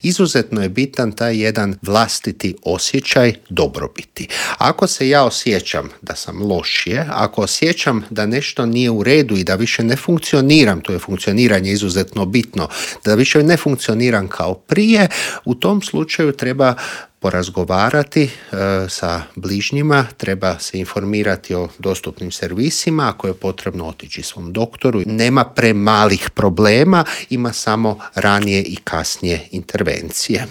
Izuzetno je bitan taj jedan vlastiti osjećaj dobrobiti. Ako se ja osjećam da sam lošije, ako osjećam da nešto nije u redu i da više ne funkcioniram, to je funkcioniranje izuzetno bitno, da više ne funkcioniram kao prije, u tom slučaju treba porazgovarati sa bližnjima, treba se informirati o dostupnim servisima, ako je potrebno otići svom doktoru. Nema premalih problema, ima samo ranije i kasnije intervencije.